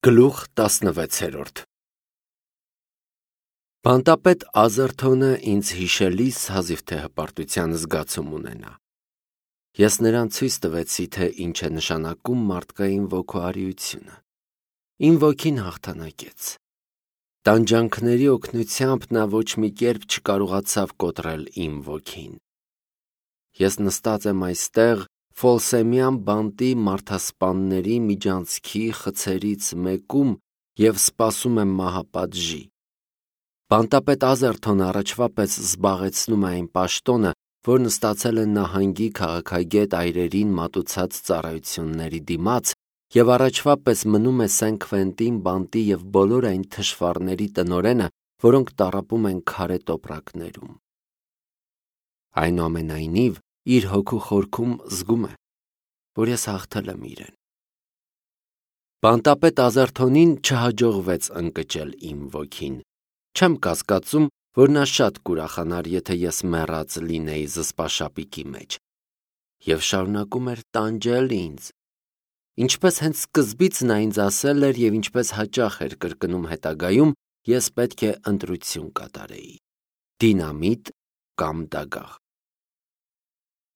Գլուխ 16 Բանտապետ Ազերթոնը ինձ հիշելիս հազիվ թե հպարտության զգացում ունենա։ Ես նրան ցույց տվեցի, թե ինչ է նշանակում մարդկային ոգուարիությունը։ Իմ ոգին հաղթանակեց։ Տանջանքների օգնությամբ նա ոչ մի կերպ չկարողացավ կոտրել իմ ոգին։ Ես նստած եմ այստեղ Ֆոլսեմյան բանտի մարդասպանների միջանցքի խցերից մեկում և սպասում եմ մահապատժի։ Բանտապետ Ազերթոնը առաջվա պես զբաղեցնում է այն պաշտոնը, որն ստացել է նահանգի քաղաքագետ այրերին մատուցած ծառայությունների դիմաց և առաջվա պես մնում է Սեն Քվենտին բանտի և բոլոր այն թշվառների տնօրենը, որոնք տառապում են քարե տոպրակներում։ Այնուամենայնիվ, իր հոգու խորքում զգում է, որ ես հաղթել եմ իրեն։ Բանտապետ Ազերթոնին չհաջողվեց ընկճել իմ ոգին։ Չեմ կասկածում, որ նա շատ կուրախանար, եթե ես մեռած լինեի զսպաշապիկի մեջ։ Եվ շարունակում էր տանջել ինձ։ Ինչպես հենց սկզբից նա ինձ ասել էր և ինչպես հաճախ էր կրկնում հետագայում, ես պետք է ընտրություն կատարեի՝ դինամիտ կամ դագաղ։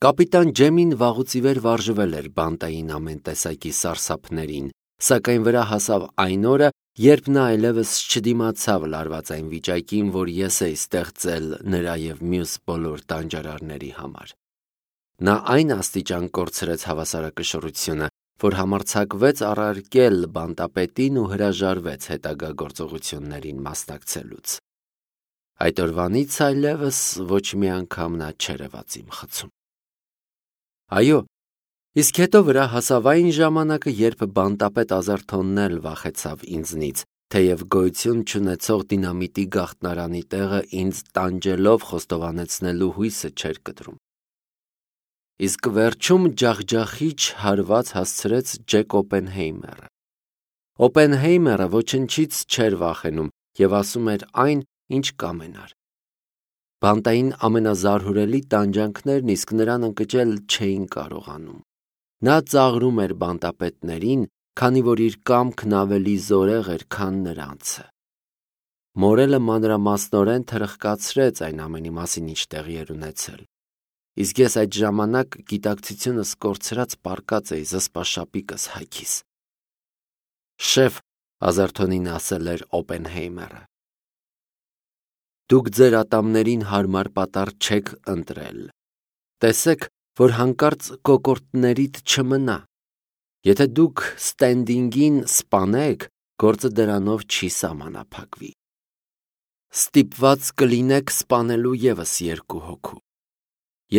Կապիտան Ջեմին վաղուց ի վեր վարժվել էր բանտային ամեն տեսակի սարսափներին, սակայն վրա հասավ այն օրը, երբ նա այլևս չդիմացավ լարվածային վիճակին, որ ես էի ստեղծել նրա և մյուս բոլոր տանջարարների համար։ Նա այն աստիճան կորցրեց հավասարակշռությունը, որ համարձակվեց առարկել բանտապետին ու հրաժարվեց հետագա գործողություններին մասնակցելուց։ Այդ օրվանից այլևս ոչ մի անգամ նա չերևաց իմ խցում։ Այո, իսկ հետո վրա հասավ այն ժամանակը, երբ բանտապետ Ազերթոնն էլ վախեցավ ինձնից, թեև գոյություն չունեցող դինամիտի գաղտնարանի տեղը ինձ տանջելով խոստովանեցնելու հույսը չէր կտրում։ Իսկ վերջում ջախջախիչ հարված հասցրեց Ջեք Օպենհեյմերը։ Օպենհեյմերը ոչնչից չէր վախենում և ասում էր այն, ինչ կամենար։ Բանտային ամենազարհուրելի տանջանքներն իսկ նրան ընկճել չէին կարողանում։ Նա ծաղրում էր բանտապետներին, քանի որ իր կամքն ավելի զորեղ էր, քան նրանցը։ Մորելը մանրամասնորեն թրխկացրեց այն ամենի մասին, ինչ տեղի էր ունեցել։ Իսկ ես այդ ժամանակ գիտակցությունս կորցրած պառկած էի զսպաշապիկս հագիս։ Շեֆ, Ազերթոնին ասել էր Օպենհեյմերը, դուք ձեր ատամներին հարմար պատառ չեք ընտրել։ Տեսեք, որ հանկարծ կոկորդներիդ չմնա։ Եթե դուք Ստենդինգին սպանեք, գործը դրանով չի սահմանափակվի։ Ստիպված կլինեք սպանելու ևս 2 հոգու։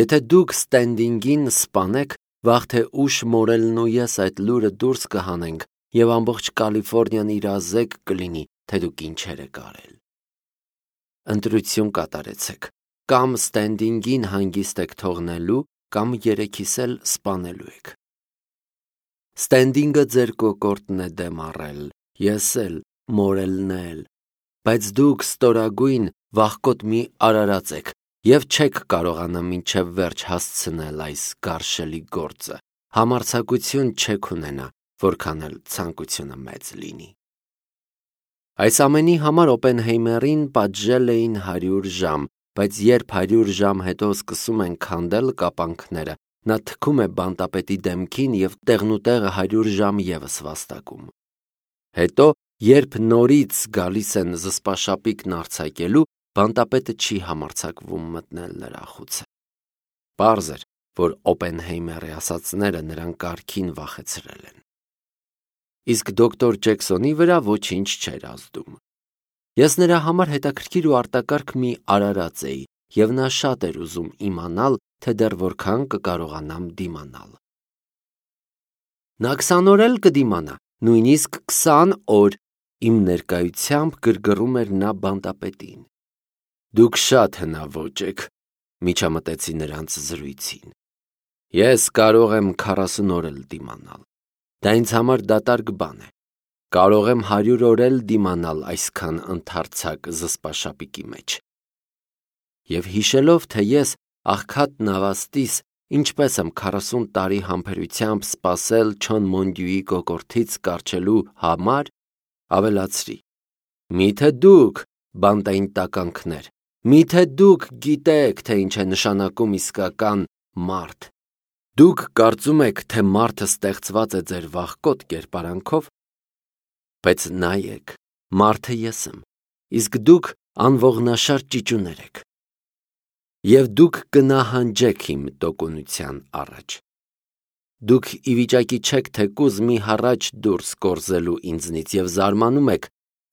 Եթե դուք Ստենդինգին սպանեք, վաղ թե ուշ Մորելն ու ես այդ լուրը դուրս կհանենք և ամբողջ Կալիֆոռնիան իրազեկ կլինի, թե դուք ինչեր եք արել։ Ընտրություն կատարեցեք, կամ Ստենդինգին հանգիստ եք թողնելու, կամ երեքիս էլ սպանելու եք։ Ստենդինգը ձեր կոկորդն է դեմ առել, ես էլ, Մորելն էլ, բայց դուք ստորագույն վախկոտ մի արարած եք և չեք կարողանա մինչև վերջ հասցնել այս գարշելի գործը, համարձակություն չեք ունենա, որքան էլ ցանկությունը մեծ լինի։ Այս ամենի համար Օպենհեյմերին պատժել էին 100 ժամ, բայց երբ 100 ժամ հետո սկսում են քանդել կապանքները, նա թքում է բանտապետի դեմքին և տեղնուտեղը 100 ժամ ևս վաստակում։ Հետո, երբ նորից գալիս են զսպաշապիկն արձակելու, բանտապետը չի համարձակվում մտնել նրա խուցը։ Պարզ էր, որ Օպենհեյմերի ասածները նրան կարգին վախեցրել են։ Իսկ դոկտոր Ջեքսոնի վրա ոչինչ չէր ազդում։ Ես նրա համար հետաքրքիր ու արտակարգ մի արարած էի, և նա շատ էր ուզում իմանալ, թե դեռ որքան կկարողանամ դիմանալ։ Նա 20 օր էլ կդիմանա, նույնիսկ 20 օր, իմ ներկայությամբ գրգռում էր նա բանտապետին։ Դուք շատ հնաոճ եք, միջամտեցի նրանց զրույցին։ Ես կարող եմ 40 օր էլ դիմանալ։ Դա ինձ համար դատարկ բան է։ Կարող եմ 100 օր էլ դիմանալ այսքան ընդարձակ զսպաշապիկի մեջ։ Եվ հիշելով, թե ես, աղքատ նավաստիս, ինչպես եմ 40 տարի համբերությամբ սպասել Չոն Մոնդյուի կոկորդից կառչելու համար, ավելացրի. Միթե դուք, բանտային տականքներ, միթե դուք գիտեք, թե ինչ է նշանակում իսկական մարդ։ Դուք կարծում եք, թե մարդը ստեղծված է ձեր վախկոտ կերպարանքով, բայց նայեք, մարդը ես եմ, իսկ դուք անողնաշար ճիճուներ եք։ Եվ դուք կնահանջեք իմ տոկունության առաջ։ Դուք ի վիճակի չեք թեկուզ մի հառաչ դուրս կորզելու ինձնից և զարմանում եք,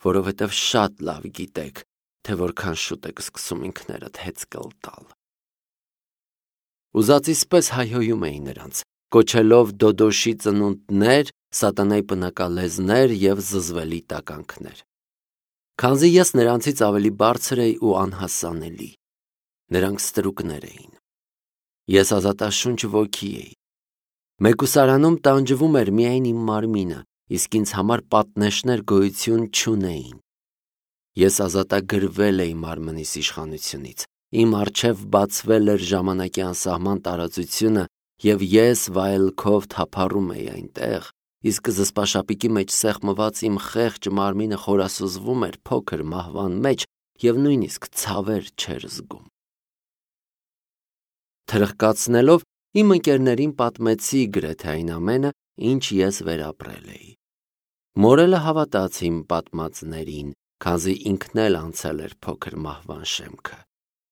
որովհետև շատ լավ գիտեք, թե որքան շուտ եք սկսում ինքներդ հեծկլ տալ։ Ուզածիս պես հայհոյում էի նրանց, կոչելով Դոդոշի ծնունդներ, սատանայի պնակալեզներ և զզվելի տականքներ։ Քանզի ես նրանցից ավելի բարձր էի ու անհասանելի, նրանք ստրուկներ էին։ Ես ազատաշունչ ոգի էի։ Մեկուսարանում տանջվում էր միայն իմ մարմինը, իսկ ինձ համար պատնեշներ գոյություն չունեին։ Ես ազատագրվել էի մարմնիս իշխանությունից, իմ առջև բացվել էր ժամանակի անսահման տարածությունը և ես վայելքով թափառում էի այնտեղ, իսկ զսպաշապիկի մեջ սեղմված իմ խեղճ մարմինը խորասուզվում էր փոքր մահվան մեջ և նույնիսկ ցավեր չէր զգում։ Թրխկացնելով իմ ընկերներին պատմեցի գրեթե այն ամենը, ինչ ես վերապրել էի։ Մորելը հավատաց իմ պատմածներին, քանզի ինքն էլ անցել էր փոքր մահվան շեմքը,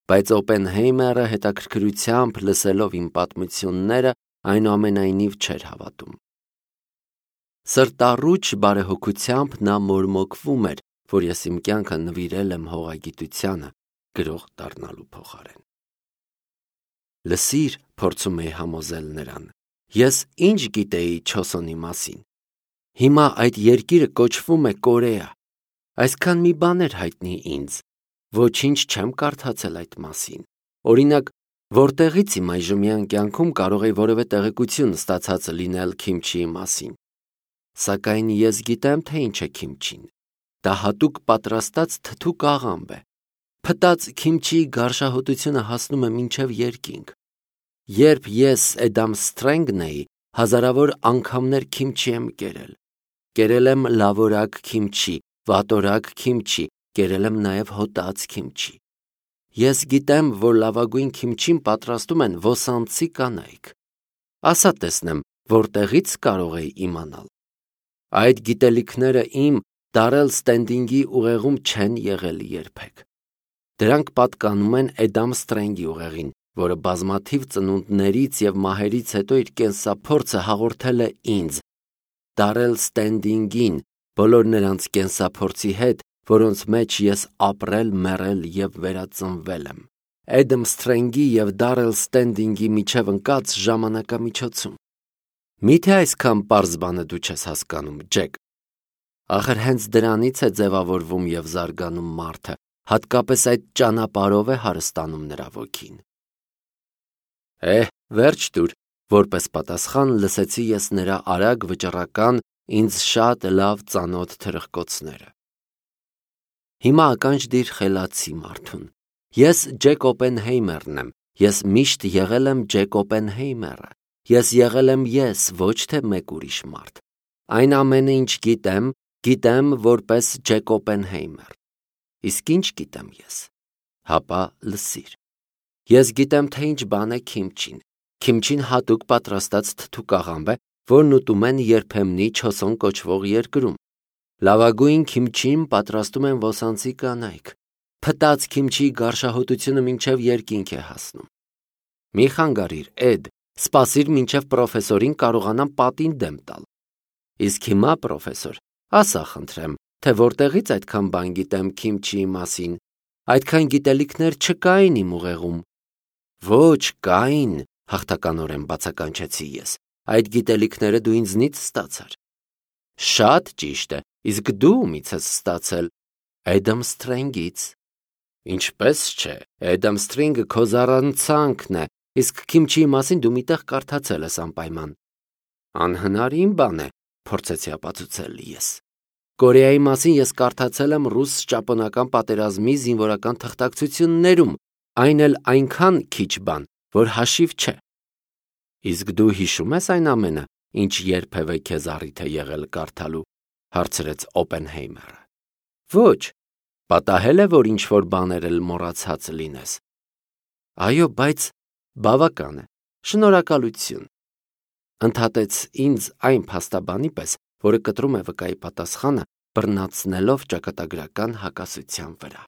բայց Օպենհեյմերը հետաքրքրությամբ լսելով իմ պատմությունները, այնուամենայնիվ չէր հավատում։ Սրտառուչ բարեհոգությամբ նա մորմոքվում էր, որ ես իմ կյանքը նվիրել եմ հողագիտությանը, գրող դառնալու փոխարեն։ Լսիր, փորձում էի համոզել նրան, ես ինչ գիտեի Չոսոնի մասին։ Հիմա այդ երկիրը կոչվում է Կորեա։ Այսքան մի բան էր հայտնի ինձ, ոչինչ չեմ կարդացել այդ մասին։ Օրինակ, որտեղից իմ այժմյան կյանքում կարող էի որևէ տեղեկություն ստացած լինել քիմչիի մասին։ Սակայն ես գիտեմ, թե ինչ է քիմչին։ Դա հատուկ պատրաստած թթու աղամբ է։ Փտած քիմչիի գարշահոտությունը հասնում է մինչև երկինք։ Երբ ես Էդամ Սթրենգն էի, հազարավոր անգամներ քիմչի եմ կերել։ Կերել եմ լավորակ քիմչի, վատորակ քիմչի, կերել եմ նաև հոտած քիմչի։ Ես գիտեմ, որ լավագույն քիմչին պատրաստում են ոսանցի կանայք։ Ասա տեսնեմ, որտեղից կարող էի իմանալ։ Այդ գիտելիքները իմ Դարել Ստենդինգի ուղեղում չեն եղել երբեք։ Դրանք պատկանում են Էդամ Սթրենգի ուղեղին, որը բազմաթիվ ծնունդներից և մահերից հետո իր կենսափորձը հաղորդել է ինձ, Դարել Ստենդինգին, բոլոր նրանց կենսափորձի հետ, որոնց մեջ ես ապրել, մեռել և վերածնվել եմ, Էդամ Սթրենգի և Դարել Ստենդինգի միջև ընկած ժամանակամիջոցում։ Միթե այսքան պարզ բանը դու չես հասկանում, Ջեք։ Ախր հենց դրանից է ձևավորվում և զարգանում մարդը, հատկապես այդ ճանապարհով է հարստանում նրա ոգին։ Վերջ տուր, որպես պատասխան լսեցի ես նրա արագ վճռական, ինձ շատ լավ ծանոթ թրխկոցները։ Հիմա ականջ դիր խելացի մարդուն։ Ես Ջեք Օպենհեյմերն եմ, ես միշտ եղել եմ Ջեք Օպենհեյմերը, ես եղել եմ ես, ոչ թե մեկ ուրիշ մարդ։ Այն ամենը, ինչ գիտեմ որպես Ջեք Օպենհեյմեր։ Իսկ ինչ գիտեմ ես։ Հապա լսիր։ Ես գիտեմ, թե ինչ բան է քիմչին։ Քիմչին հատուկ պատրաստած թթու աղամբ է, որն ուտում են երբեմնի Չոսոն կոչվող երկրում։ Լավագույն քիմչին պատրաստում են ոսանցի կանայք։ Փտած քիմչի գարշահոտությունը մինչև երկինք է հասնում։ Մի խանգարիր, Էդ, սպասիր մինչև պրոֆեսորին կարողանամ պատին դեմ տալ։ Իսկ հիմա, պրոֆեսոր, ասա խնդրեմ, թե որտեղից այդքան բան գիտեմ քիմչիի մասին։ Այդքան գիտելիքներ չկային իմ ուղեղում։ Ոչ, կային, հաղթականորեն բացականչեցի ես։ Այդ գիտելիքները դու ինձնից ստացար։ Շատ ճիշտ է, իսկ դու ումից ես ստացել։ Էդամ Սթրենգից։ Ինչպես չէ, Էդամ Սթրենգը քո զառանցանքն է, իսկ քիմչիի մասին դու միտեղ կարդացել ես անպայման։ Անհնարին բան է, փորձեցի ապացուցել ես։ Կորեայի մասին ես կարդացել եմ ռուս-ճապոնական պատերազմի զինվորական թղթակցություններում, այն էլ այնքան քիչ բան, որ հաշիվ չէ։ Իսկ դու հիշում ես այն ամենը, ինչ երբևէ քեզ առիթ է եղել կարդալու։ հարցրեց Օպենհեյմերը։ Ոչ, պատահել է, որ ինչ-որ բաներ էլ մոռացած լինես։ Այո, բայց բավական է, շնորհակալություն, ընդհատեց ինձ այն փաստաբանի պես, որը կտրում է վկայի պատասխանը, բռնացնելով ճակատագրական հակասության վրա։